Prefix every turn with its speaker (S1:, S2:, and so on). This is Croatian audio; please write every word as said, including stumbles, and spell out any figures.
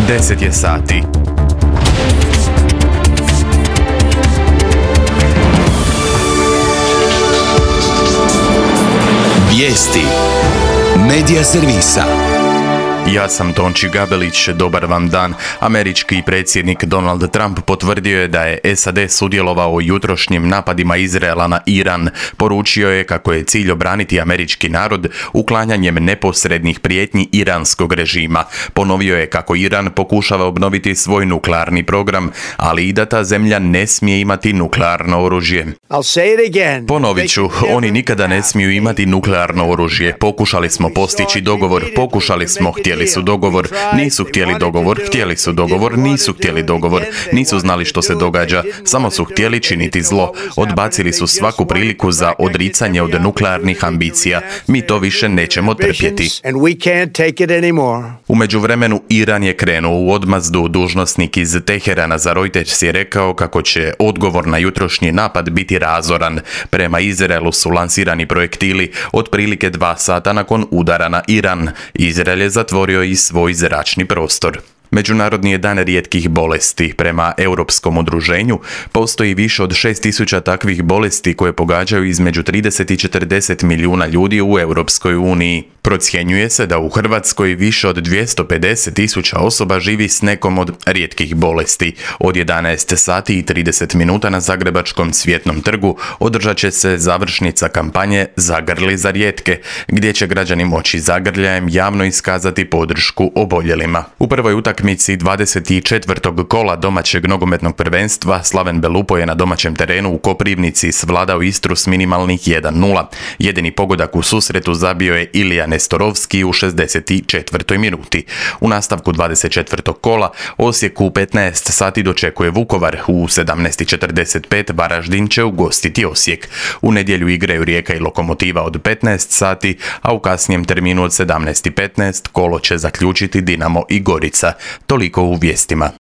S1: deset je sati.
S2: Vijesti Medija servisa.
S1: Ja sam Tonči Gabelić, dobar vam dan. Američki predsjednik Donald Trump potvrdio je da je S A D sudjelovao u jutrošnjim napadima Izraela na Iran. Poručio je kako je cilj obraniti američki narod uklanjanjem neposrednih prijetnji iranskog režima. Ponovio je kako Iran pokušava obnoviti svoj nuklearni program, ali i da ta zemlja ne smije imati nuklearno oružje. Ponovit ću, oni nikada ne smiju imati nuklearno oružje. Pokušali smo postići dogovor, pokušali smo htjeli Htjeli su dogovor, nisu htjeli dogovor, htjeli su dogovor, nisu htjeli dogovor, nisu znali što se događa, samo su htjeli činiti zlo. Odbacili su svaku priliku za odricanje od nuklearnih ambicija. Mi to više nećemo trpjeti. U međuvremenu Iran je krenuo u odmazdu. Dužnosnik iz Teherana za Reuters je rekao kako će odgovor na jutrošnji napad biti razoran. Prema Izraelu su lansirani projektili otprilike dva sata nakon udara na Iran. Izrael je zatvorio i svoj zračni prostor. Međunarodni je dan rijetkih bolesti. Prema Europskom udruženju postoji više od šest tisuća takvih bolesti koje pogađaju između trideset i četrdeset milijuna ljudi u Europskoj uniji. Procjenjuje se da u Hrvatskoj više od dvjesto pedeset tisuća osoba živi s nekom od rijetkih bolesti. Od jedanaest sati i trideset minuta na Zagrebačkom Cvjetnom trgu održat će se završnica kampanje Zagrli za rijetke, gdje će građani moći zagrljajem javno iskazati podršku oboljelima. U prvoj utakmici dvadeset četvrtog kola domaćeg nogometnog prvenstva Slaven Belupo je na domaćem terenu u Koprivnici svladao Istru s minimalnih jedan nula. Jedini pogodak u susretu zabio je Ilija Nestorovski u šezdeset četvrtoj minuti. U nastavku dvadeset četvrtog kola Osijek u petnaest sati dočekuje Vukovar. U sedamnaest četrdeset pet Varaždin će ugostiti Osijek. U nedjelju igraju Rijeka i Lokomotiva od petnaest sati, a u kasnijem terminu od sedamnaest petnaest kolo će zaključiti Dinamo i Gorica. Toliko u vijestima.